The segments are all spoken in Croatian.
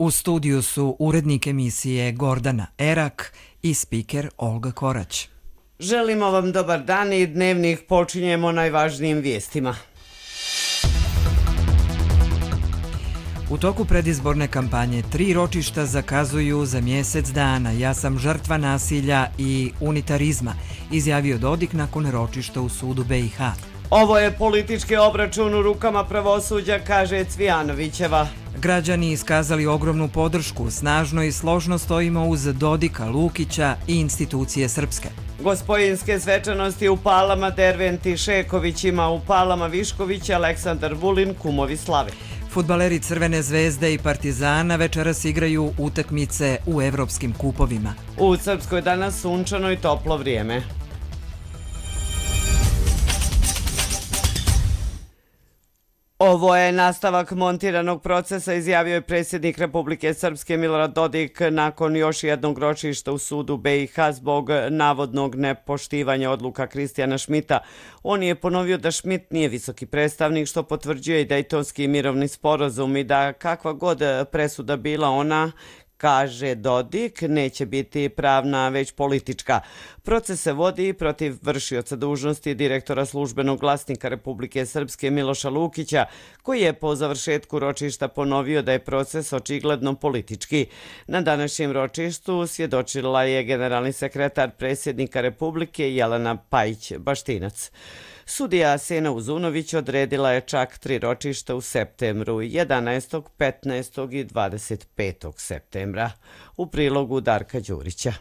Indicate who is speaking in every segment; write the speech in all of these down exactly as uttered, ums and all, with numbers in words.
Speaker 1: U studiju su urednik emisije Gordana Erak i spiker Olga Korać.
Speaker 2: Želimo vam dobar dan i dnevnik počinjemo najvažnijim vijestima.
Speaker 1: U toku predizborne kampanje tri ročišta zakazuju za mjesec dana. Ja sam žrtva nasilja i unitarizma, izjavio Dodik nakon ročišta u sudu B i H.
Speaker 2: Ovo je politički obračun u rukama pravosuđa, kaže Cvijanovićeva.
Speaker 1: Građani iskazali ogromnu podršku, snažno i složno stojimo uz Dodika, Lukića i institucije srpske.
Speaker 2: Gospojinske svečanosti u Palama, Derventi Šekovićima, u Palama Višković, Aleksandar Vulin, kumovi slave.
Speaker 1: Fudbaleri Crvene zvezde i Partizana večeras igraju utakmice u evropskim kupovima.
Speaker 2: U Srpskoj danas sunčano i toplo vrijeme. Ovo je nastavak montiranog procesa, izjavio je predsjednik Republike Srpske Milorad Dodik nakon još jednog ročišta u sudu B i H zbog navodnog nepoštivanja odluka Kristijana Šmita. On je ponovio da Šmit nije visoki predstavnik, što potvrđuje i Dejtonski mirovni sporazum i da kakva god presuda bila ona, kaže Dodik, neće biti pravna, već politička. Proces se vodi protiv vršioca dužnosti direktora službenog glasnika Republike Srpske Miloša Lukića, koji je po završetku ročišta ponovio da je proces očigledno politički. Na današnjem ročištu svjedočila je generalni sekretar predsjednika Republike Jelena Pajić-Baštinac. Sudija Sena Uzunović odredila je čak tri ročišta u septembru, jedanaestog, petnaestog i dvadeset petog septembra. U prilogu Darka Đurića.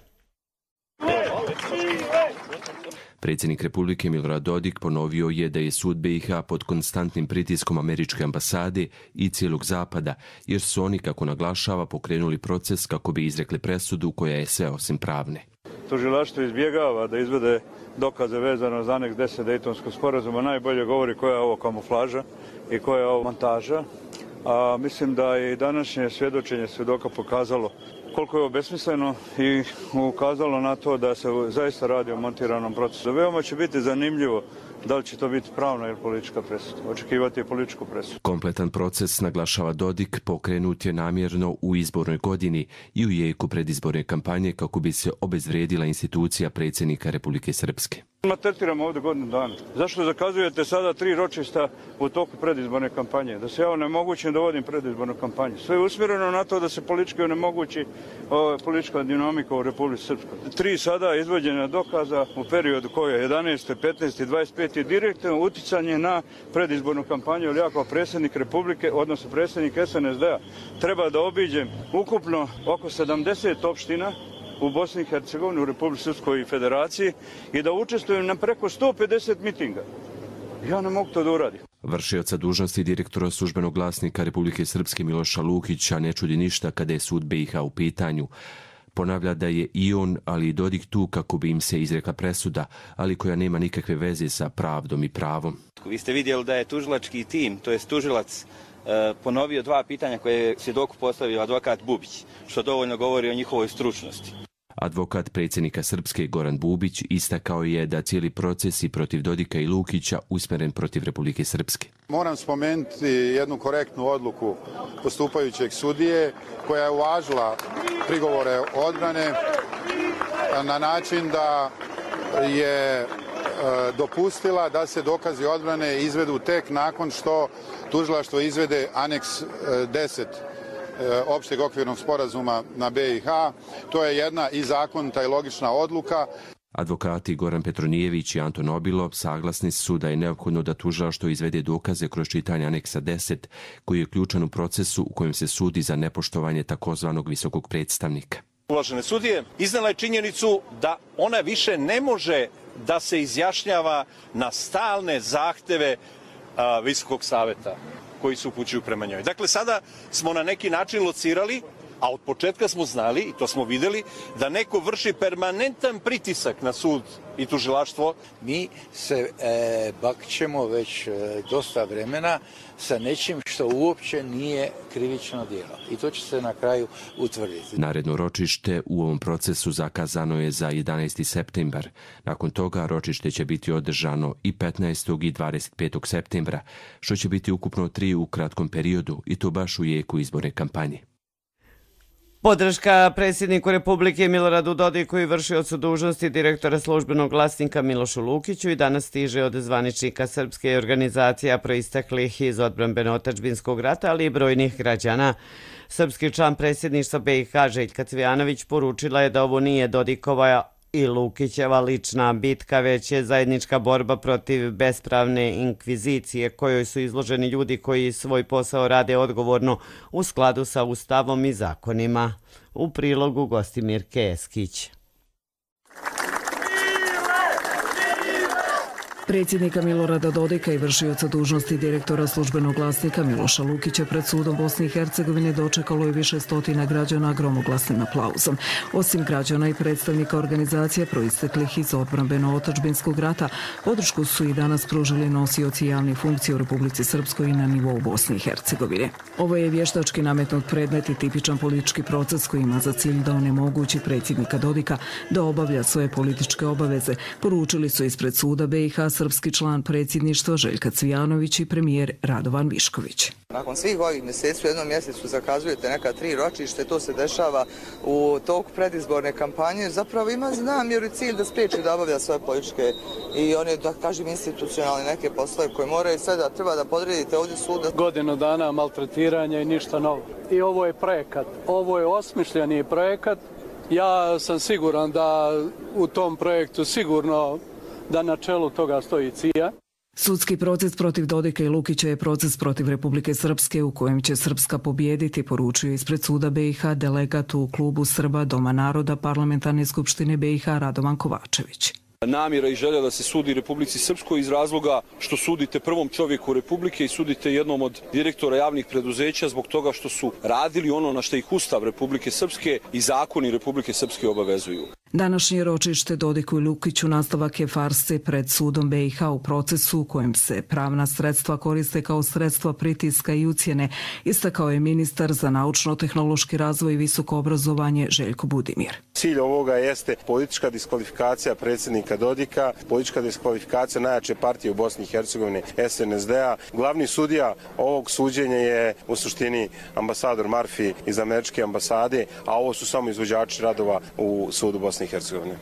Speaker 3: Predsjednik Republike Milorad Dodik ponovio je da je sud B i H pod konstantnim pritiskom američke ambasade i cijelog zapada, jer su oni, kako naglašava, pokrenuli proces kako bi izrekli presudu koja je sve osim pravne.
Speaker 4: Tužilaštvo izbjegava da izvede dokaze vezano za aneks deset Dejtonskog sporazuma. Najbolje govori koja je ovo kamuflaža i koja je ovo montaža. A mislim da je i današnje svjedočenje svjedoka pokazalo koliko je ovo besmisleno i ukazalo na to da se zaista radi o montiranom procesu. Veoma će biti zanimljivo da li će to biti pravna ili politička presuda. Očekivati je političku presudu.
Speaker 3: Kompletan proces, naglašava Dodik, pokrenut je namjerno u izbornoj godini i u jeku predizborne kampanje kako bi se obezvrijedila institucija predsjednika Republike Srpske.
Speaker 4: Maltretiramo ovdje godinu dana. Zašto zakazujete sada tri ročišta u toku predizborne kampanje? Da se ja onemogućim da vodim predizbornu kampanju. Sve je usmjereno na to da se politički onemogući o, politička dinamika u Republici Srpskoj. Tri sada izvođenja dokaza u periodu koje je jedanaeste, petnaeste i dvadeset pete direktno uticanje na predizbornu kampanju, ali ja kao predsjednik Republike, odnosno predsjednik S N S D-a, treba da obiđem ukupno oko sedamdeset opština u Bosni i Hercegovini, u Republici Srpskoj i Federaciji i da učestvujem na preko sto pedeset mitinga. Ja ne mogu to da uradim.
Speaker 3: Vršioca dužnosti direktora službenog glasnika Republike Srpske Miloša Lukića ne čudi ništa kada je sud B i H u pitanju. Ponavlja da je i on, ali i Dodik tu kako bi im se izrekla presuda, ali koja nema nikakve veze sa pravdom i pravom.
Speaker 5: Vi ste vidjeli da je tužilački tim, to je tužilac, ponovio dva pitanja koje je svjedoku postavio advokat Bubić, što dovoljno govori o njihovoj stručnosti.
Speaker 3: Advokat predsjednika Srpske Goran Bubić istakao je da cijeli proces i protiv Dodika i Lukića usmjeren protiv Republike Srpske.
Speaker 6: Moram spomenuti jednu korektnu odluku postupajućeg sudije koja je uvažila prigovore odbrane na način da je dopustila da se dokazi odbrane izvedu tek nakon što tužilaštvo izvede aneks deset opšteg okvirnog sporazuma na B i H. To je jedna i zakonita i logična odluka.
Speaker 3: Advokati Goran Petronijević i Anton Obilov saglasni su da je neophodno da tužilaštvo izvede dokaze kroz čitanje aneksa deset, koji je ključan u procesu u kojem se sudi za nepoštovanje takozvanog visokog predstavnika.
Speaker 7: Uvažene sudije, iznala je činjenicu da ona više ne može da se izjašnjava na stalne zahteve a, Visokog saveta koji se upućuju prema njoj. Dakle, sada smo na neki način locirali, a od početka smo znali, i to smo vidjeli, da neko vrši permanentan pritisak na sud i tužilaštvo.
Speaker 8: Mi se e, bakćemo već e, dosta vremena sa nečim što uopće nije krivično djelo. I to će se na kraju utvrditi.
Speaker 3: Naredno ročište u ovom procesu zakazano je za jedanaesti septembar. Nakon toga ročište će biti održano i petnaestog i dvadeset petog septembra, što će biti ukupno tri u kratkom periodu i to baš u jeku izborne kampanje.
Speaker 2: Podrška predsjedniku Republike Miloradu Dodiku i vršiocu dužnosti direktora službenog glasnika Milošu Lukiću i danas stiže od zvaničnika srpske organizacija proisteklih iz odbrambeno-otadžbinskog rata, ali i brojnih građana. Srpski član predsjedništva B i H Željka Cvijanović poručila je da ovo nije Dodikova i Lukićeva lična bitka, već je zajednička borba protiv bespravne inkvizicije kojoj su izloženi ljudi koji svoj posao rade odgovorno u skladu sa Ustavom i zakonima. U prilogu Gostimir Keskić.
Speaker 9: Predsjednika Milorada Dodika i vršioca dužnosti direktora službenog glasnika Miloša Lukića pred sudom Bosne i Hercegovine dočekalo je više stotina građana gromoglasnim aplauzom. Osim građana i predstavnika organizacija proisteklih iz odbrambeno-otadžbinskog rata, podršku su i danas pružili nosioci javnih funkcija u Republici Srpskoj i na nivou Bosne i Hercegovine. Ovo je vještački nametnut predmet i tipičan politički proces koji ima za cilj da onemogući predsjednika Dodika da obavlja svoje političke obaveze, poručili su ispred suda B i H srpski član predsjedništva Željka Cvijanović i premijer Radovan Višković.
Speaker 10: Nakon svih ovih mjeseci u jednom mjesecu zakazujete neka tri ročište, to se dešava u toku predizborne kampanje. Zapravo ima namjeru i cilj da spriječi da obavlja svoje političke i one, da kažem, institucionalne neke poslove koje moraju sve da treba da podredite ovdje suda.
Speaker 11: Godinu dana maltretiranja i ništa novo. I ovo je projekat, ovo je osmišljeni projekat. Ja sam siguran da u tom projektu sigurno da na čelu toga stoji C I A.
Speaker 9: Sudski proces protiv Dodika i Lukića je proces protiv Republike Srpske u kojem će Srpska pobijediti, poručio ispred suda B i H delegat u klubu Srba Doma naroda Parlamentarne skupštine B i H Radovan Kovačević.
Speaker 12: Namjera i želja da se sudi Republici Srpskoj iz razloga što sudite prvom čovjeku Republike i sudite jednom od direktora javnih preduzeća zbog toga što su radili ono na što ih Ustav Republike Srpske i zakoni Republike Srpske obavezuju.
Speaker 9: Današnje ročište Dodiku i Lukiću nastavak je farse pred sudom B i H u procesu u kojem se pravna sredstva koriste kao sredstva pritiska i ucjene, istakao je ministar za naučno-tehnološki razvoj i visoko obrazovanje Željko Budimir.
Speaker 13: Cilj ovoga jeste politička diskvalifikacija predsjednika Dodika, politička diskvalifikacija najjače partije u Bosni i Hercegovini S N S D A. Glavni sudija ovog suđenja je u suštini ambasador Marfi iz američke ambasade, a ovo su samo izvođači radova u sudu Bosne i Hercegovine.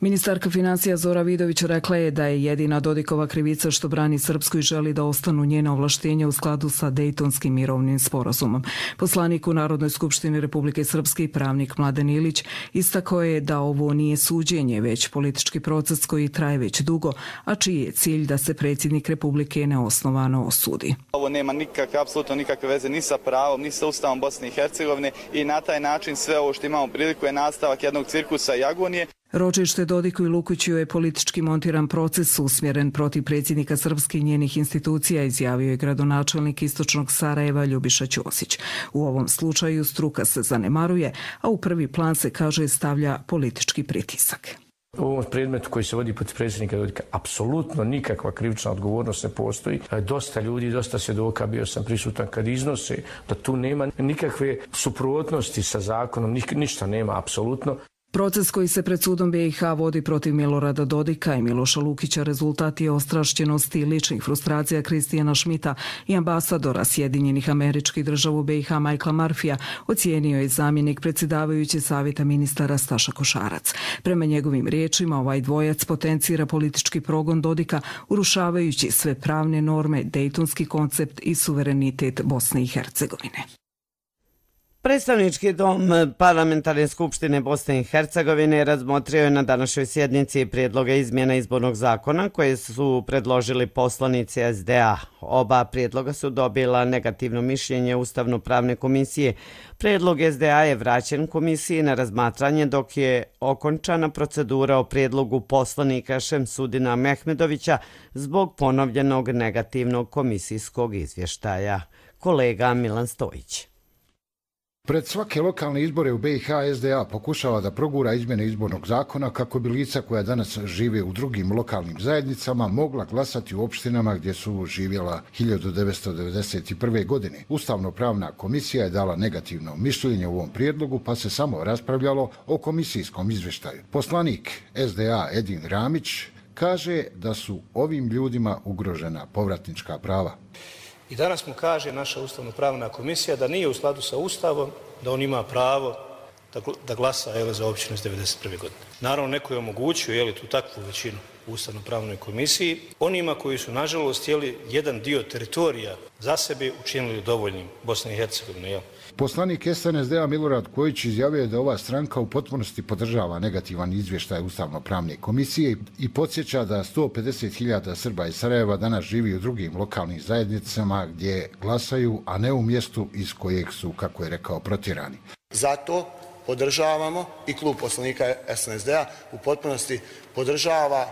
Speaker 9: Ministarka financija Zora Vidović rekla je da je jedina Dodikova krivica što brani Srpsku i želi da ostanu njena ovlaštenja u skladu sa Dejtonskim mirovnim sporazumom. Poslanik u Narodnoj skupštini Republike Srpske i pravnik Mladen Ilić istakao je da ovo nije suđenje, već politički proces koji traje već dugo, a čiji je cilj da se predsjednik Republike neosnovano osudi.
Speaker 14: Ovo nema nikakve, apsolutno nikakve veze ni sa pravom, ni sa Ustavom Bosne i Hercegovine i na taj način sve ovo što imamo priliku je nastavak jednog cirkusa i agonije.
Speaker 9: Ročište Dodiku i Lukiću je politički montiran proces usmjeren protiv predsjednika Srpske i njenih institucija, izjavio je gradonačelnik istočnog Sarajeva Ljubiša Ćosić. U ovom slučaju struka se zanemaruje, a u prvi plan se, kaže, stavlja politički pritisak.
Speaker 15: U ovom predmetu koji se vodi protiv predsjednika Dodika apsolutno nikakva krivična odgovornost ne postoji. Dosta ljudi, dosta svjedoka, bio sam prisutan kad iznose da tu nema nikakve suprotnosti sa zakonom, ništa nema apsolutno.
Speaker 9: Proces koji se pred sudom B i H vodi protiv Milorada Dodika i Miloša Lukića rezultat je ostrašćenosti i ličnih frustracija Kristijana Šmita i ambasadora Sjedinjenih Američkih Država u B i H Michaela Marfija, ocijenio je zamjenik predsjedavajući savjeta ministara Staša Košarac. Prema njegovim riječima, ovaj dvojac potencira politički progon Dodika, urušavajući sve pravne norme, dejtonski koncept i suverenitet Bosne i Hercegovine.
Speaker 2: Predstavnički dom Parlamentarne skupštine Bosne i Hercegovine razmotrio je na današnjoj sjednici prijedloge izmjena izbornog zakona koje su predložili poslanici S D A. Oba prijedloga su dobila negativno mišljenje Ustavno-pravne komisije. Prijedlog S D A je vraćen komisiji na razmatranje dok je okončana procedura o prijedlogu poslanika Šemsudina Mehmedovića zbog ponovljenog negativnog komisijskog izvještaja. Kolega Milan Stojić.
Speaker 16: Pred svake lokalne izbore u B i H S D A pokušava da progura izmjene izbornog zakona kako bi lica koja danas žive u drugim lokalnim zajednicama mogla glasati u opštinama gdje su živjela hiljadu devetsto devedeset prve. godine. Ustavno-pravna komisija je dala negativno mišljenje u ovom prijedlogu pa se samo raspravljalo o komisijskom izvještaju. Poslanik S D A Edin Ramić kaže da su ovim ljudima ugrožena povratnička prava.
Speaker 17: I danas mu kaže naša Ustavno-pravna komisija da nije u skladu sa Ustavom, da on ima pravo da glasa jeli, za općinu iz devedeset prve godine. Naravno, neko je omogućio jeli, tu takvu većinu u Ustavno-pravnoj komisiji onima koji su, nažalost, jeli, jedan dio teritorija za sebe učinili dovoljnim Bosne i Hercegovine. Jel?
Speaker 16: Poslanik S N S D-a Milorad Kojić izjavio je da ova stranka u potpunosti podržava negativan izvještaj Ustavno-pravne komisije i podsjeća da sto pedeset hiljada Srba iz Sarajeva danas živi u drugim lokalnim zajednicama gdje glasaju, a ne u mjestu iz kojeg su, kako je rekao, protjerani.
Speaker 18: Zato podržavamo i klub poslanika S N S D-a u potpunosti podržava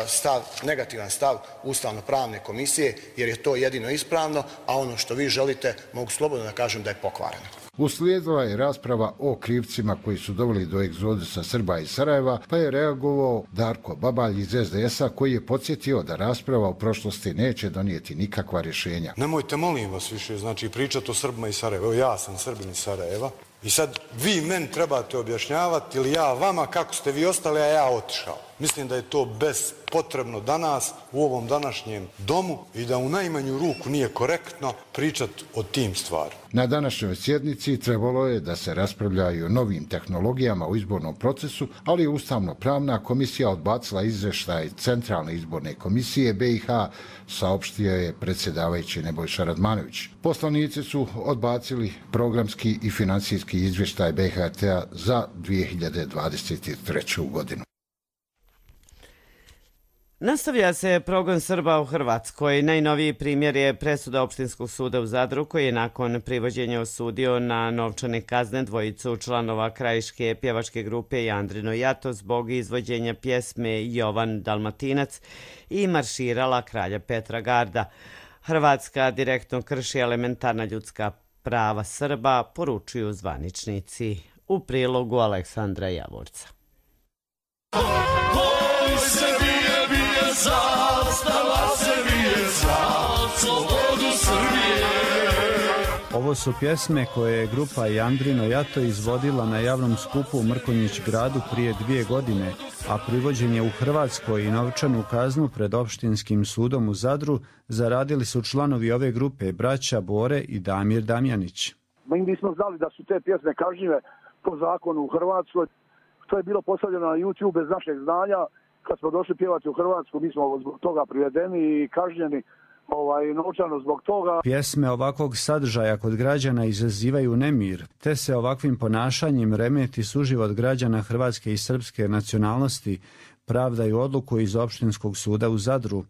Speaker 18: stav, negativan stav Ustavno-pravne komisije, jer je to jedino ispravno, a ono što vi želite mogu slobodno da kažem da je pokvareno.
Speaker 16: Uslijedila je rasprava o krivcima koji su doveli do egzodusa Srba iz Sarajeva, pa je reagovao Darko Babalj iz S D S-a koji je podsjetio da rasprava u prošlosti neće donijeti nikakva rješenja.
Speaker 19: Nemojte, molim vas, više znači pričati o Srbima iz Sarajeva. Evo, ja sam Srbin iz Sarajeva i sad vi meni trebate objašnjavati ili ja vama kako ste vi ostali, a ja otišao. Mislim da je to bespotrebno danas u ovom današnjem domu i da u najmanju ruku nije korektno pričati o tim stvarima.
Speaker 16: Na današnjoj sjednici trebalo je da se raspravlja i o novim tehnologijama u izbornom procesu, ali je Ustavno-pravna komisija odbacila izvještaj Centralne izborne komisije B i H, saopštio je predsjedavajući Nebojša Radmanović. Poslanici su odbacili programski i financijski izvještaj B H T-a za dvije hiljade dvadeset treću. godinu.
Speaker 2: Nastavlja se progon Srba u Hrvatskoj. Najnoviji primjer je presuda Opštinskog suda u Zadru koji je nakon privođenja osudio na novčane kazne dvojicu članova krajiške pjevačke grupe Jandrino Jato zbog izvođenja pjesme Jovan Dalmatinac i marširala kralja Petra Garda. Hrvatska direktno krši elementarna ljudska prava Srba, poručuju zvaničnici. U prilogu Aleksandra Javorca.
Speaker 20: Zastava Srbije, za slobodu Srbije.
Speaker 21: Ovo su pjesme koje je grupa Jandrino Jato izvodila na javnom skupu u Mrkonjić gradu prije dvije godine, a privođen je u Hrvatskoj i novčanu kaznu pred Opštinskim sudom u Zadru zaradili su članovi ove grupe braća Bore i Damir Damjanić.
Speaker 22: Mi nismo znali da su te pjesme kažnjive po zakonu u Hrvatskoj. To je bilo postavljeno na YouTube bez našeg znanja. Kad smo došli pjevati u Hrvatsku, mi smo zbog toga privedeni i kažnjeni ovaj, novčano zbog toga.
Speaker 21: Pjesme ovakvog sadržaja kod građana izazivaju nemir, te se ovakvim ponašanjem remeti suživot građana hrvatske i srpske nacionalnosti, pravdaju odluku iz Opštinskog suda u Zadru.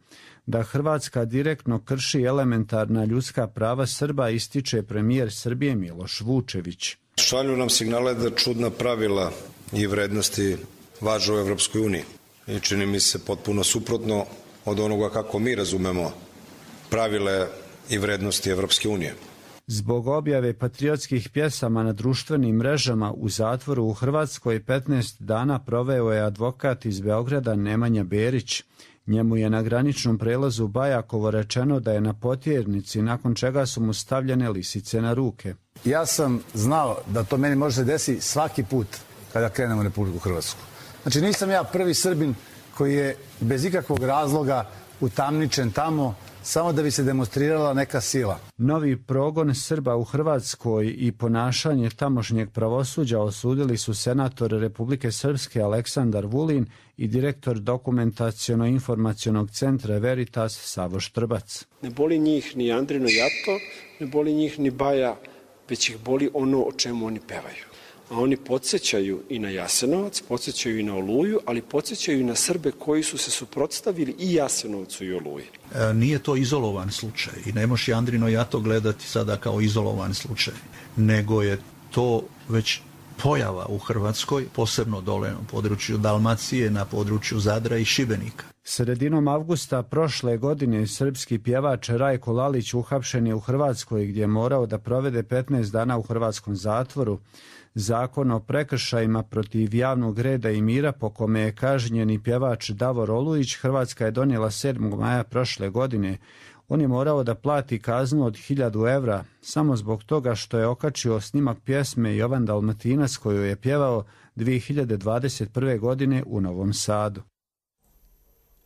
Speaker 21: Da Hrvatska direktno krši elementarna ljudska prava Srba ističe premijer Srbije Miloš Vučević.
Speaker 23: Šalju nam signale da čudna pravila i vrednosti važe u Evropskoj uniji. I čini mi se potpuno suprotno od onoga kako mi razumemo pravile i vrednosti Evropske unije.
Speaker 21: Zbog objave patriotskih pjesama na društvenim mrežama u zatvoru u Hrvatskoj petnaest dana proveo je advokat iz Beograda Nemanja Berić. Njemu je na graničnom prelazu Bajakovo rečeno da je na potjernici, nakon čega su mu stavljene lisice na ruke.
Speaker 24: Ja sam znao da to meni može se desiti svaki put kada krenem u Republiku Hrvatsku. Znači nisam ja prvi Srbin koji je bez ikakvog razloga utamničen tamo samo da bi se demonstrirala neka sila.
Speaker 21: Novi progon Srba u Hrvatskoj i ponašanje tamošnjeg pravosuđa osudili su senator Republike Srpske Aleksandar Vulin i direktor dokumentaciono-informacionog centra Veritas Savo Štrbac.
Speaker 25: Ne boli njih ni Jandrino Jato, ne boli njih ni Baja, već ih boli ono o čemu oni pevaju. A oni podsjećaju i na Jasenovac, podsjećaju i na Oluju, ali podsjećaju i na Srbe koji su se suprotstavili i Jasenovcu i Oluji.
Speaker 26: E, nije to izolovan slučaj i ne može Jandrino Jato gledati sada kao izolovan slučaj, nego je to već pojava u Hrvatskoj, posebno dole na području Dalmacije, na području Zadra i Šibenika.
Speaker 21: Sredinom avgusta prošle godine srpski pjevač Rajko Lalić uhapšen je u Hrvatskoj gdje je morao da provede petnaest dana u hrvatskom zatvoru. Zakon o prekršajima protiv javnog reda i mira po kome je kažnjeni pjevač Davor Olujić Hrvatska je donijela sedmog maja prošle godine. On je morao da plati kaznu od hiljadu evra samo zbog toga što je okačio snimak pjesme Jovan Dalmatinac koju je pjevao dvije hiljade dvadeset prve. godine u Novom Sadu.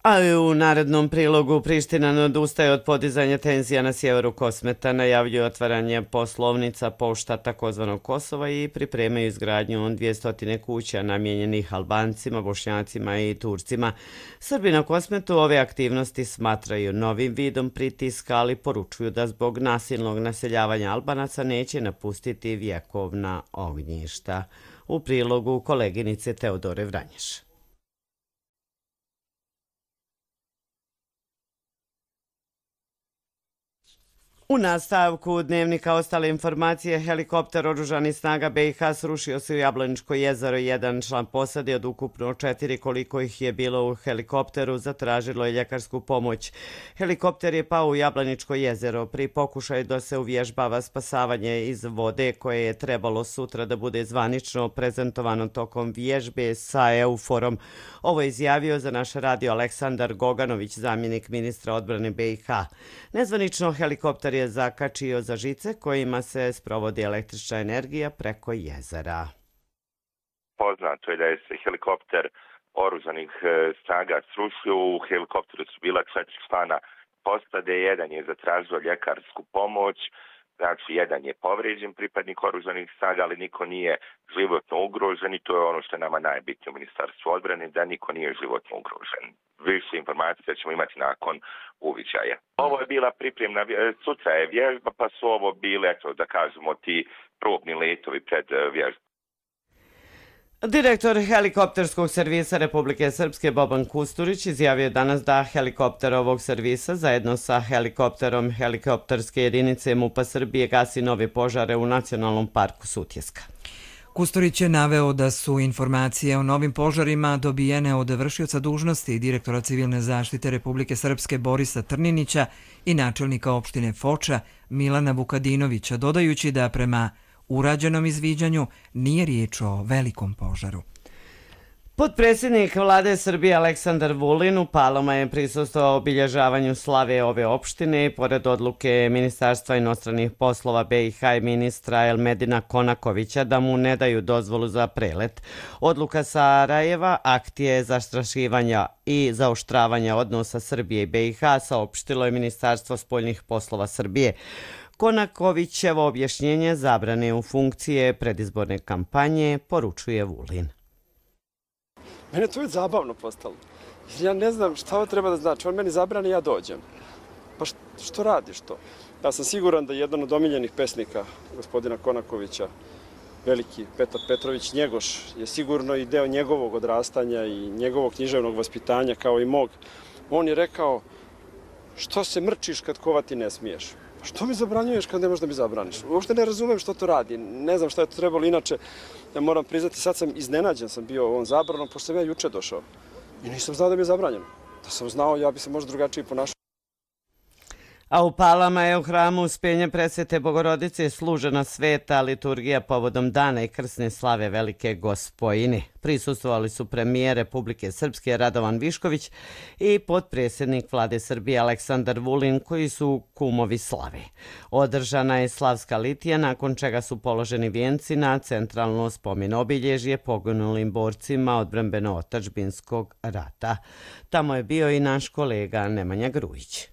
Speaker 2: A i u narednom prilogu Priština ne odustaje od podizanja tenzija na sjeveru Kosmeta, najavljuje otvaranje poslovnica pošta takozvanog Kosova i pripremaju izgradnju dvjesto kuća namijenjenih Albancima, Bošnjacima i Turcima. Srbi na Kosmetu ove aktivnosti smatraju novim vidom pritiska, ali poručuju da zbog nasilnog naseljavanja Albanaca neće napustiti vjekovna ognjišta. U prilogu koleginice Teodore Vranješ. U nastavku dnevnika ostale informacije, helikopter oružanih snaga B i H srušio se u Jablaničko jezero. Jedan član posade od ukupno četiri koliko ih je bilo u helikopteru zatražilo je ljekarsku pomoć. Helikopter je pao u Jablaničko jezero pri pokušaju da se uvježbava spasavanje iz vode koje je trebalo sutra da bude zvanično prezentovano tokom vježbe sa Euforom. Ovo je izjavio za naš radio Aleksandar Goganović, zamjenik ministra odbrane B i H. Nezvanično helikopter je zakačio za žice kojima se sprovodi električna energija preko jezera.
Speaker 1: Poznato je da je se helikopter oružanih snaga srušio. U helikopteru su bila četiri člana posade, jedan je zatražio ljekarsku pomoć, znači jedan je povrijeđen pripadnik oružanih snaga, ali niko nije životno ugrožen i to je ono što je nama najbitnije u Ministarstvu odbrane, da niko nije životno ugrožen. Više informacija ćemo imati nakon uviđaja. Ovo je bila pripremna, sutra je vježba, pa su ovo bile, eto, da kažemo, ti probni letovi pred vježbom.
Speaker 2: Direktor helikopterskog servisa Republike Srpske Boban Kusturić izjavio danas da helikopter ovog servisa zajedno sa helikopterom helikopterske jedinice MUP-a Srbije gasi nove požare u Nacionalnom parku Sutjeska.
Speaker 4: Kusturić je naveo da su informacije o novim požarima dobijene od vršioca dužnosti direktora civilne zaštite Republike Srpske Borisa Trninića i načelnika opštine Foča Milana Vukadinovića, dodajući da prema urađenom izviđanju nije riječ o velikom požaru.
Speaker 2: Potpredsjednik vlade Srbije Aleksandar Vulin u Palama je prisustvovao obilježavanju slave ove opštine i pored odluke Ministarstva inostranih poslova B i H i ministra Elmedina Konakovića da mu ne daju dozvolu za prelet. Odluka Sarajeva akt je zastrašivanja i zaoštravanja odnosa Srbije i B i H, saopštilo je Ministarstvo spoljnih poslova Srbije. Konakovićevo objašnjenje zabrane u funkcije predizborne kampanje poručuje Vulin.
Speaker 5: Mene to je zabavno postalo. Ja ne znam šta ovo treba da znači. On meni zabrani, ja dođem. Pa što radiš to? Ja sam siguran da jedan od omiljenih pesnika gospodina Konakovića, veliki Petar Petrović Njegoš, je sigurno i deo njegovog odrastanja i njegovog književnog vaspitanja kao i mog. On je rekao, što se mrčiš kad kovati ne smiješ? Što mi zabranjuješ kad ne možeš da mi zabraniš? Uopšte ne razumem što to radi. Ne znam šta je to trebalo inače. Ja moram priznati, sad sam iznenađen sam bio ovom zabranom, pošto sam ja juče došao. I nisam znao da mi je zabranjeno. Da sam znao, ja bi se možda drugačije ponašao.
Speaker 2: A u Palama je u hramu Uspenja Presvete Bogorodice služena sveta liturgija povodom dana i krsne slave Velike Gospojine. Prisustvovali su premijer Republike Srpske Radovan Višković i potpredsjednik vlade Srbije Aleksandar Vulin, koji su kumovi slave. Održana je slavska litija, nakon čega su položeni vijenci na centralno spomen obilježje poginulim borcima odbrambeno-otadžbinskog rata. Tamo je bio i naš kolega Nemanja Grujić.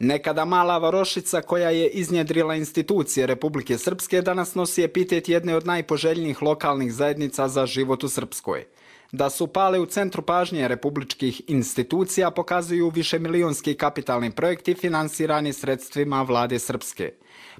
Speaker 6: Nekada mala varošica koja je iznjedrila institucije Republike Srpske danas nosi epitet jedne od najpoželjnijih lokalnih zajednica za život u Srpskoj. Da su Pale u centru pažnje republičkih institucija pokazuju višemilionski kapitalni projekti finansirani sredstvima vlade Srpske.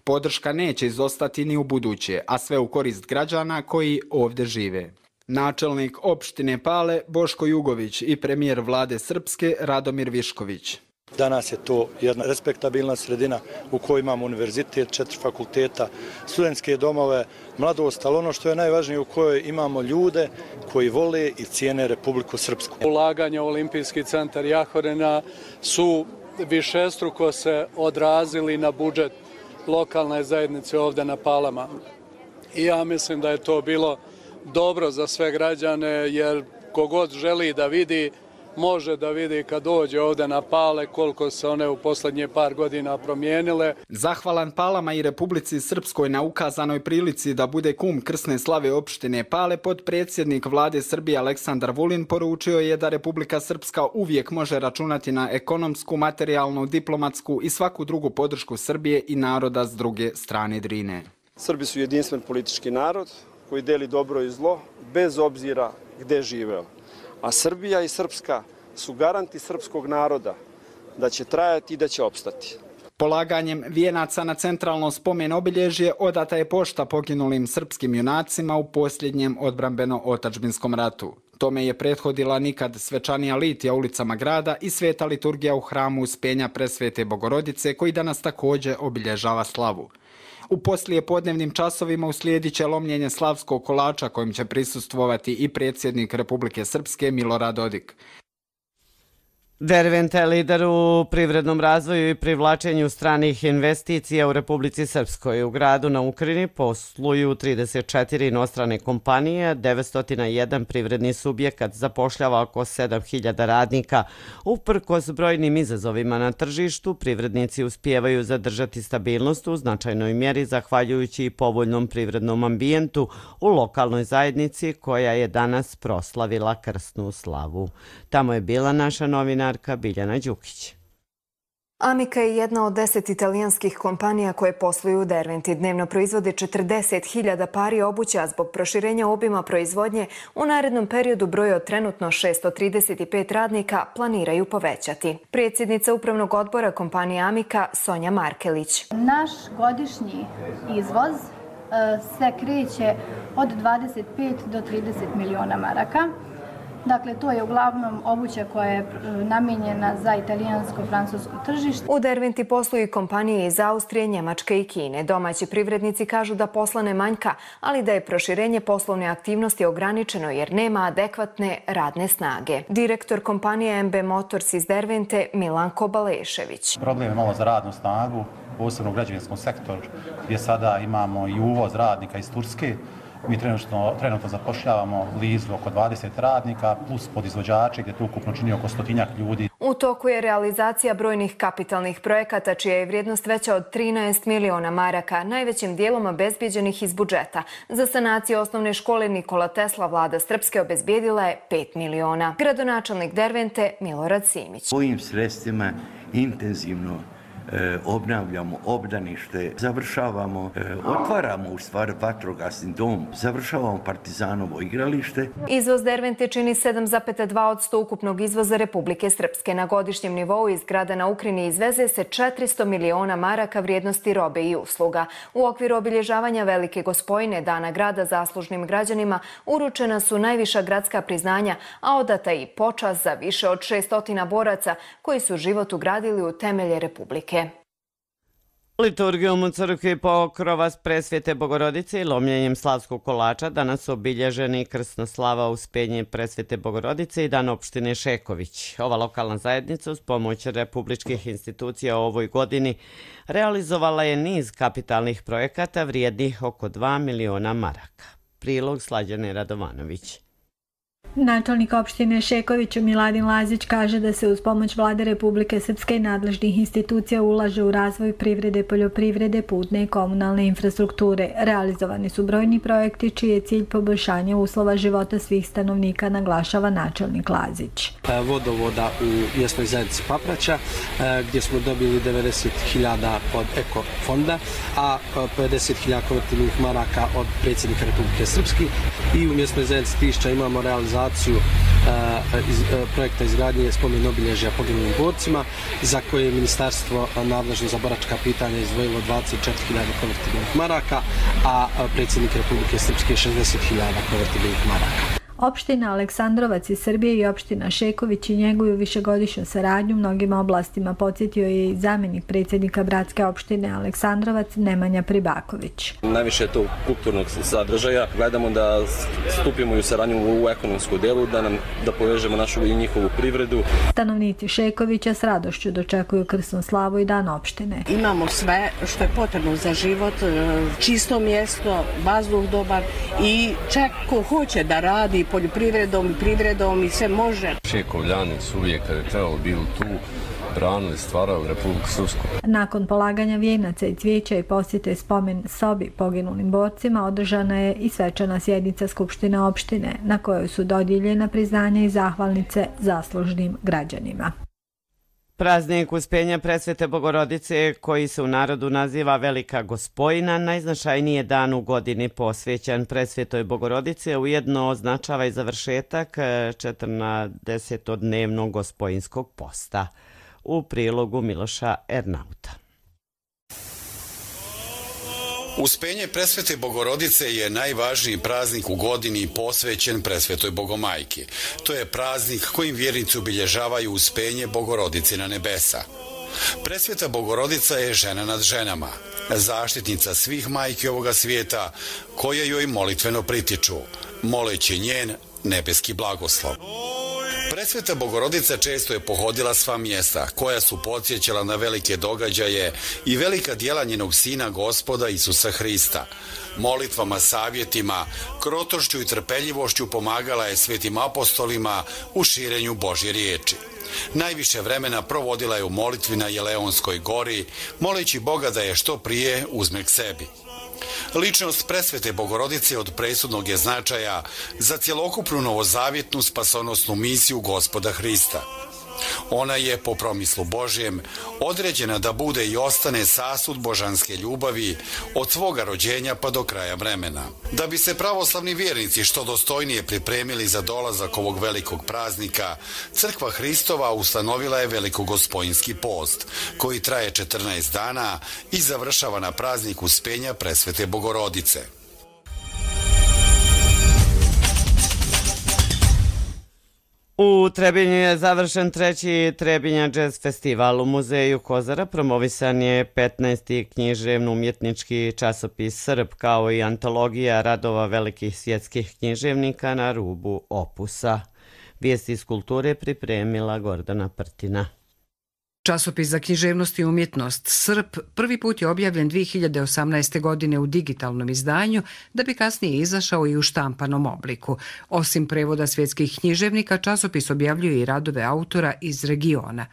Speaker 6: Podrška neće izostati ni u buduće, a sve u korist građana koji ovdje žive. Načelnik opštine Pale Boško Jugović i premijer vlade Srpske Radomir Višković.
Speaker 7: Danas je to jedna respektabilna sredina u kojoj imamo univerzitet, četiri fakulteta, studentske domove, mladost, ali ono što je najvažnije u kojoj imamo ljude koji vole i cijene Republiku Srpsku.
Speaker 11: Ulaganja u Olimpijski centar Jahorina su višestruko se odrazili na budžet lokalne zajednice ovdje na Palama. I ja mislim da je to bilo dobro za sve građane, jer kogod želi da vidi može da vidi kad dođe ovde na Pale koliko se one u poslednje par godina promijenile.
Speaker 6: Zahvalan Palama i Republici Srpskoj na ukazanoj prilici da bude kum krsne slave opštine Pale, potpredsjednik vlade Srbije Aleksandar Vulin poručio je da Republika Srpska uvijek može računati na ekonomsku, materijalnu, diplomatsku i svaku drugu podršku Srbije i naroda s druge strane Drine.
Speaker 5: Srbi su jedinstven politički narod koji deli dobro i zlo bez obzira gde živeo. A Srbija i Srpska su garanti srpskog naroda da će trajati i da će opstati.
Speaker 6: Polaganjem vijenaca na centralno spomen obilježje odata je pošta poginulim srpskim junacima u posljednjem odbrambeno-otadžbinskom ratu. Tome je prethodila nikad svečanija litija ulicama grada i sveta liturgija u hramu Uspenja Presvete Bogorodice, koji danas također obilježava slavu. U poslije podnevnim časovima uslijedit će lomljenje slavskog kolača kojim će prisustvovati i predsjednik Republike Srpske Milorad Dodik.
Speaker 2: Derventa je lider u privrednom razvoju i privlačenju stranih investicija u Republici Srpskoj. U gradu na Ukrini posluju trideset četiri inostrane kompanije, devetsto jedan privredni subjekat zapošljava oko sedam hiljada radnika. Uprkos brojnim izazovima na tržištu, privrednici uspijevaju zadržati stabilnost u značajnoj mjeri zahvaljujući i povoljnom privrednom ambijentu u lokalnoj zajednici koja je danas proslavila krsnu slavu. Tamo je bila naša novina Biljana Đukić.
Speaker 3: Amica je jedna od deset italijanskih kompanija koje posluju u Derventi. Dnevno proizvode četrdeset hiljada pari obuća, zbog proširenja obima proizvodnje u narednom periodu broj od trenutno šesto trideset pet radnika planiraju povećati. Predsjednica upravnog odbora kompanije Amica Sonja Markelić.
Speaker 8: Naš godišnji izvoz se kreće od dvadeset pet do trideset miliona maraka. Dakle, to je uglavnom obuća koja je namijenjena za italijansko-francusko tržište.
Speaker 3: U Derventi posluju kompanije iz Austrije, Njemačke i Kine. Domaći privrednici kažu da posla ne manjka, ali da je proširenje poslovne aktivnosti ograničeno jer nema adekvatne radne snage. Direktor kompanije M B Motors iz Dervente Milanko Balešević.
Speaker 10: Problem je malo za radnu snagu, posebno u građevinskom sektoru, gdje sada imamo i uvoz radnika iz Turske. Mi trenutno, trenutno zapošljavamo blizu oko dvadeset radnika plus podizvođače gdje to ukupno čini oko stotinjak ljudi.
Speaker 3: U toku je realizacija brojnih kapitalnih projekata čija je vrijednost veća od trinaest miliona maraka, najvećim dijelom obezbijeđenih iz budžeta. Za sanaciju osnovne škole Nikola Tesla vlada Srpske obezbijedila je pet miliona. Gradonačelnik Dervente Milorad Simić.
Speaker 12: Ovim sredstvima intenzivno obnavljamo obdanište, završavamo, otvaramo u stvari vatrogasni dom, završavamo Partizanovo igralište.
Speaker 3: Izvoz Dervente čini sedam zarez dva posto ukupnog izvoza Republike Srpske. Na godišnjem nivou iz grada na Ukrini izveze se četiristo miliona maraka vrijednosti robe i usluga. U okviru obilježavanja Velike Gospojine, Dana grada zaslužnim građanima, uručena su najviša gradska priznanja, a odata i počast za više od šesto boraca koji su život ugradili u temelje Republike.
Speaker 2: Liturgijom u crkvi Pokrova Presvete Bogorodice i lomljenjem slavskog kolača danas su obilježeni krsna slava Uspenje Presvete Bogorodice i dan opštine Šeković. Ova lokalna zajednica uz pomoć republičkih institucija u ovoj godini realizovala je niz kapitalnih projekata vrijednih oko dva miliona maraka. Prilog Slađane Radovanović.
Speaker 13: Načelnik opštine Šeković Miladin Lazić kaže da se uz pomoć vlade Republike Srpske i nadležnih institucija ulaže u razvoj privrede, poljoprivrede, putne i komunalne infrastrukture. Realizovani su brojni projekti čiji je cilj poboljšanje uslova života svih stanovnika, naglašava načelnik Lazić.
Speaker 14: Vodovoda u mjesnoj zajednici Papraća gdje smo dobili devedeset hiljada od Eko fonda, a pedeset hiljada konvertibilnih maraka od predsjednika Republike Srpske i u mjesnoj zajednici Tišća imamo realizaciju iz, projekta izgradnje spomen obilježja poginulim borcima za koje je ministarstvo nadležno za boračka pitanja izdvojilo dvadeset četiri hiljade konvertibilnih maraka, a predsjednik Republike Srpske šezdeset hiljada konvertibilnih maraka.
Speaker 13: Opština Aleksandrovac iz Srbije i opština Šeković i njeguju višegodišnju saradnju u mnogim oblastima, podsjetio je i zamjenik predsjednika bratske opštine Aleksandrovac Nemanja Pribaković.
Speaker 27: Najviše je to kulturnog sadržaja. Gledamo da stupimo u saradnju u ekonomsku delu, da nam da povežemo našu i njihovu privredu.
Speaker 13: Stanovnici Šekovića s radošću dočekuju krsnu slavu i dan opštine.
Speaker 28: Imamo sve što je potrebno za život, čisto mjesto, vazduh dobar i čak ko hoće da radi poljoprivredom i privredom i sve može.
Speaker 9: Šekovljani su uvijek kada je trebalo bili tu, branili, stvarali Republiku Srpsku.
Speaker 13: Nakon polaganja vijenaca i cvijeća i posjete spomen sobi poginulim borcima održana je i svečana sjednica Skupštine opštine na kojoj su dodijeljena priznanja i zahvalnice zaslužnim građanima.
Speaker 2: Praznik Uspenja Presvete Bogorodice, koji se u narodu naziva Velika Gospojina, najznačajniji je dan u godini posvećen Presvetoj Bogorodice, ujedno označava i završetak četrnaestodnevnog gospojinskog posta. U prilogu Miloša Ernauta.
Speaker 15: Uspenje Presvete Bogorodice je najvažniji praznik u godini posvećen Presvetoj Bogomajki. To je praznik kojim vjernici obilježavaju uspenje Bogorodice na nebesa. Presveta Bogorodica je žena nad ženama, zaštitnica svih majki ovoga svijeta koje joj molitveno pritiču, moleći njen nebeski blagoslov. Presveta Bogorodica često je pohodila sva mjesta koja su podsjećala na velike događaje i velika djela njenog sina Gospoda Isusa Hrista. Molitvama, savjetima, krotošću i trpeljivošću pomagala je svetim apostolima u širenju Božje riječi. Najviše vremena provodila je u molitvi na Jeleonskoj gori, moleći Boga da je što prije uzme k sebi. Ličnost Presvete Bogorodice od presudnog je značaja za cjelokupnu novozavjetnu spasonosnu misiju Gospoda Hrista. Ona je, po promislu Božjem, određena da bude i ostane sasud božanske ljubavi od svoga rođenja pa do kraja vremena. Da bi se pravoslavni vjernici što dostojnije pripremili za dolazak ovog velikog praznika, Crkva Hristova ustanovila je velikogospojinski post, koji traje četrnaest dana i završava na praznik Uspenja Presvete Bogorodice.
Speaker 2: U Trebinju je završen treći Trebinja jazz festival. U muzeju Kozara promovisan je petnaesti književno-umjetnički časopis Srb, kao i antologija radova velikih svjetskih književnika na rubu opusa. Vijesti iz kulture pripremila Gordana Prtina.
Speaker 16: Časopis za književnost i umjetnost Srp prvi put je objavljen dvije hiljade osamnaeste. godine u digitalnom izdanju, da bi kasnije izašao i u štampanom obliku. Osim prevoda svjetskih književnika, časopis objavljuje i radove autora iz regiona.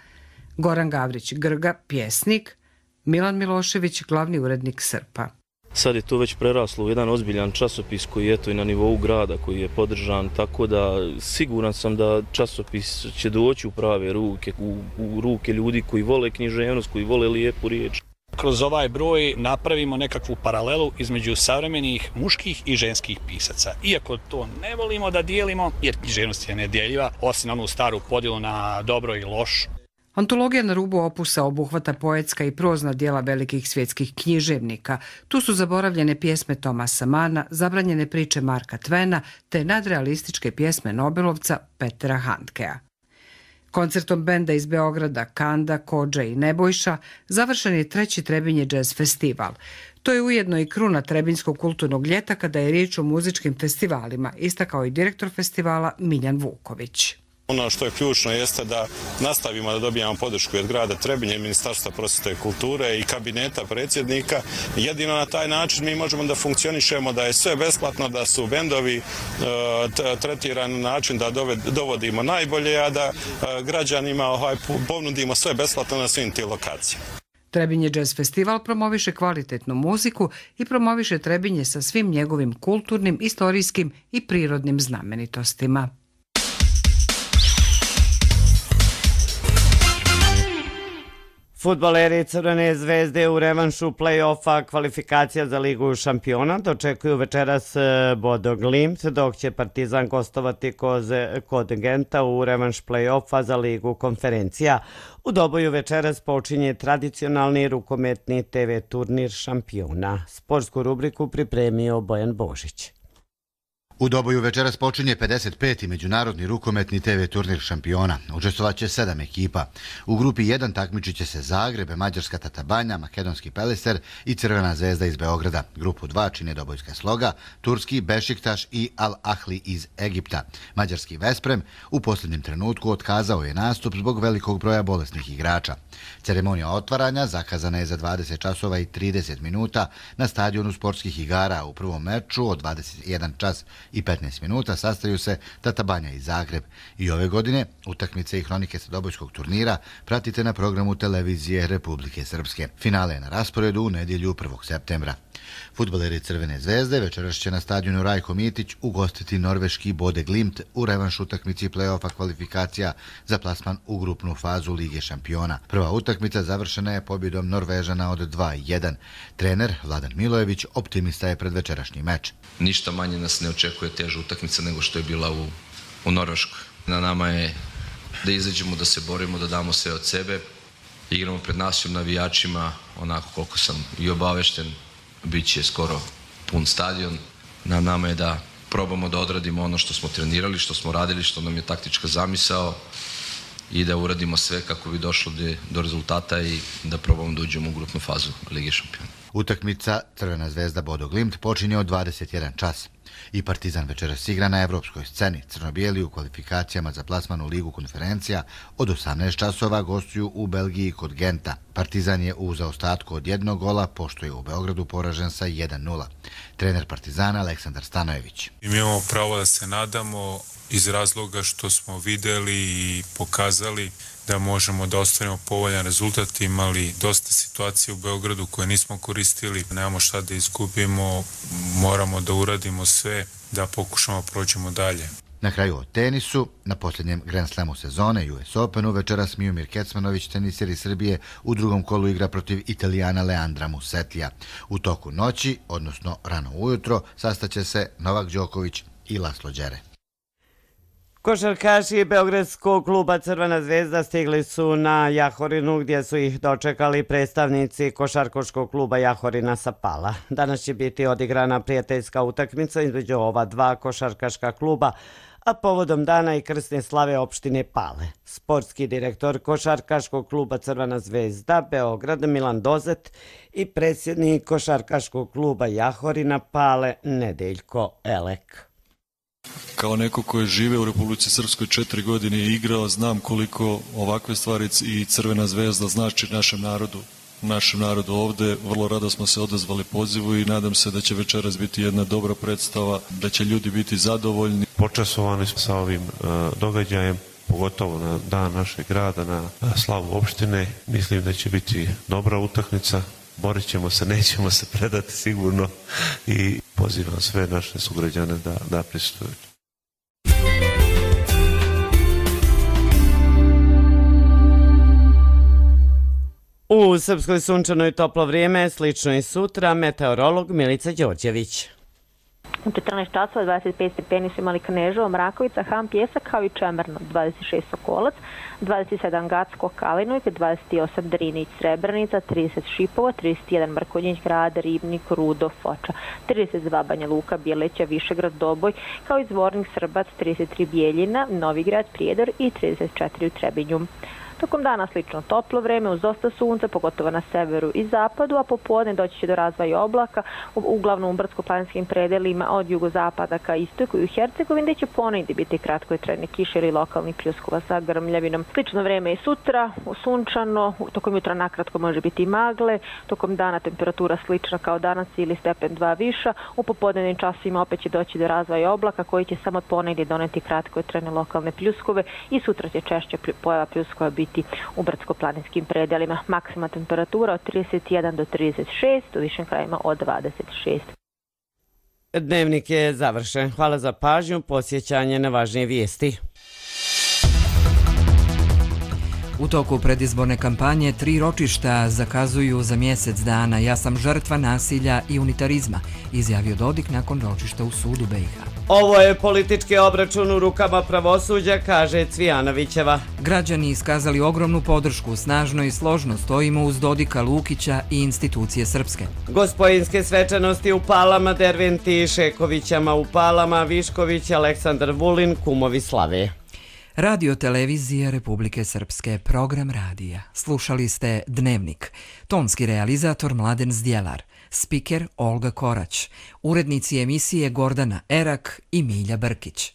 Speaker 16: Goran Gavrić Grga, pjesnik, Milan Milošević, glavni urednik Srpa.
Speaker 17: Sad je to već preraslo u jedan ozbiljan časopis koji je eto i na nivou grada, koji je podržan, tako da siguran sam da časopis će doći u prave ruke, u, u ruke ljudi koji vole književnost, koji vole lijepu riječ.
Speaker 18: Kroz ovaj broj napravimo nekakvu paralelu između savremenih muških i ženskih pisaca. Iako to ne volimo da dijelimo, jer književnost je nedjeljiva, osim onu staru podjelu na dobro i loš.
Speaker 16: Antologija na rubu opusa obuhvata poetska i prozna djela velikih svjetskih književnika. Tu su zaboravljene pjesme Tomasa Mana, zabranjene priče Marka Tvena te nadrealističke pjesme Nobelovca Petera Handkea. Koncertom benda iz Beograda Kanda, Kodža i Nebojša završen je treći Trebinje jazz festival. To je ujedno i kruna Trebinjskog kulturnog ljeta kada je riječ o muzičkim festivalima, istakao i direktor festivala Miljan Vuković.
Speaker 19: Ono što je ključno jeste da nastavimo da dobijamo podršku od grada Trebinje, Ministarstva prosvjete i kulture i kabineta predsjednika. Jedino na taj način mi možemo da funkcionišemo, da je sve besplatno, da su bendovi tretirani na način da dovodimo najbolje, a da građanima ponudimo sve besplatno na svim tim lokacijama.
Speaker 16: Trebinje jazz festival promoviše kvalitetnu muziku i promoviše Trebinje sa svim njegovim kulturnim, istorijskim i prirodnim znamenitostima.
Speaker 2: Fudbaleri Crvene zvezde u revanšu play-offa kvalifikacija za Ligu šampiona dočekuju večeras Bodo Glimt, dok će Partizan gostovati kod Genta u revanš play-offa za Ligu konferencija. U Doboju večeras počinje tradicionalni rukometni te ve turnir šampiona. Sportsku rubriku pripremio Bojan Božić.
Speaker 20: U Doboju večeras počinje pedeset peti međunarodni rukometni te ve turnir šampiona. Učestvovaće sedam ekipa. U grupi jedan takmičit će se Zagreb, Mađarska Tatabanja, Makedonski Peliser i Crvena zvezda iz Beograda. Grupu dva čine Dobojska Sloga, Turski Bešiktaš i Al Ahli iz Egipta. Mađarski Vesprem u posljednjem trenutku otkazao je nastup zbog velikog broja bolesnih igrača. Ceremonija otvaranja zakazana je za dvadeset časova i trideset minuta na stadionu sportskih igara. U prvom meču od dvadeset jedan čas i petnaest minuta sastaju se Tata Banja i Zagreb. I ove godine utakmice i hronike sadobojskog turnira pratite na programu televizije Republike Srpske. Finale je na rasporedu u nedjelju prvog septembra. Fudbaleri Crvene zvezde večeras će na stadionu Rajko Mitić ugostiti norveški Bode Glimt u revanš utakmici play-offa kvalifikacija za plasman u grupnu fazu Lige šampiona. Prva utakmica završena je pobjedom Norvežana od dva jedan. Trener Vladan Milojević optimista je pred večerašnji meč.
Speaker 1: Ništa manje nas ne očekuje teža utakmica nego što je bila u, u Norveškoj. Na nama je da izađemo, da se borimo, da damo sve od sebe. Igramo pred našim navijačima, onako koliko sam i obavešten, bit će skoro pun stadion. Na nama je da probamo da odradimo ono što smo trenirali, što smo radili, što nam je taktička zamisao i da uradimo sve kako bi došlo do rezultata i da probamo da uđemo u grupnu fazu Lige šampiona.
Speaker 20: Utakmica Crvena zvezda Bodo Glimt počinje od dvadeset jedan čas. I Partizan večeras igra na evropskoj sceni. Crno-bijeli u kvalifikacijama za plasman u Ligu konferencija od osamnaest časova gostuju u Belgiji kod Genta. Partizan je u zaostatku od jednog gola, pošto je u Beogradu poražen sa jedan nula. Trener Partizana Aleksandar Stanojević.
Speaker 4: Mi imamo pravo da se nadamo iz razloga što smo videli i pokazali da možemo da ostvarimo povoljan rezultat. Imali dosta situacije u Beogradu koje nismo koristili. Nemamo šta da izgubimo, moramo da uradimo sve da pokušamo prođemo dalje.
Speaker 20: Na kraju o tenisu, na posljednjem Grand Slamu sezone U S Openu večeras Miomir Kecmanović, tenisir iz Srbije, u drugom kolu igra protiv Italijana Leandra Musetija. U toku noći, odnosno rano ujutro, sastaće se Novak Đoković i Laslo Đere.
Speaker 2: Košarkaši Beogradskog kluba Crvena zvezda stigli su na Jahorinu gdje su ih dočekali predstavnici Košarkaškog kluba Jahorina sa Pala. Danas će biti odigrana prijateljska utakmica između ova dva košarkaška kluba, a povodom dana i krsne slave opštine Pale. Sportski direktor Košarkaškog kluba Crvena zvezda Beograd Milan Dozet i predsjednik Košarkaškog kluba Jahorina Pale Nedeljko Elek.
Speaker 21: Kao neko ko je žive u Republici Srpskoj četiri godine i igrao, znam koliko ovakve stvari i Crvena zvezda znači našem narodu. Našem narodu ovde, vrlo rado smo se odazvali pozivu i nadam se da će večeras biti jedna dobra predstava, da će ljudi biti zadovoljni.
Speaker 22: Počasovani smo sa ovim uh, događajem, pogotovo na dan našeg grada, na slavu opštine. Mislim da će biti dobra utakmica. Borit ćemo se, nećemo se predati sigurno i pozivam sve naše sugrađane da, da prisustvuju.
Speaker 2: U Srpskoj sunčano i toplo vrijeme, slično i sutra, meteorolog Milica Đorđević.
Speaker 23: U četrnaest časova dvadeset pet stepeni su imali Kneževo, Mrakovica, Han, Pjesak kao i Čemerno, dvadeset šest Sokolac, dvadeset sedam Gacko, Kalinujk, dvadeset osam Drinić, Srebrenica, trideset Šipovo, trideset jedan Mrkonjić, Grad, Ribnik, Rudo, Foča, trideset dva Banja Luka, Bjeleća, Višegrad, Doboj, kao i Zvornik, Srbac, trideset tri Bijeljina, Novigrad, Prijedor i trideset četiri u Trebinju. Tokom dana slično toplo vreme uz dosta sunca, pogotovo na severu i zapadu, a popodne doći će do razvoja oblaka, uglavnom u brdsko-planinskim predelima od jugozapada ka istoku i u Hercegovini, gdje će ponegdje biti kratkotrajne kiše ili lokalnih pljuskova sa grmljavinom. Slično vreme i sutra, sunčano, tokom jutra nakratko može biti i magle, tokom dana temperatura slična kao danas ili stepen dva viša, u popodnevnim časima opet će doći do razvoja oblaka koji će samo ponegdje doneti kratkotrajne lokalne pljuskove i sutra će češće pojava pljuskova biti u brdsko-planinskim predelima. Maksimalna temperatura od trideset jedan do trideset šest, u višim krajima od dvadeset šest.
Speaker 2: Dnevnik je završen. Hvala za pažnju, posjećanje na važnije vijesti.
Speaker 24: U toku predizborne kampanje tri ročišta zakazuju za mjesec dana. Ja sam žrtva nasilja i unitarizma, izjavio Dodik nakon ročišta u sudu B i H.
Speaker 2: Ovo je politički obračun u rukama pravosuđa, kaže Cvijanovićeva.
Speaker 24: Građani iskazali ogromnu podršku, snažno i složno stojimo uz Dodika, Lukića i institucije srpske.
Speaker 2: Gospojinske svečanosti u Palama, Derventi, Šekovićama u Palama, Višković, Aleksandar Vulin, kumovi slave.
Speaker 24: Radio televizije Republike Srpske, program radija. Slušali ste Dnevnik. Tonski realizator Mladen Zdjelar. Spiker Olga Korać. Urednici emisije Gordana Erak i Milja Brkić.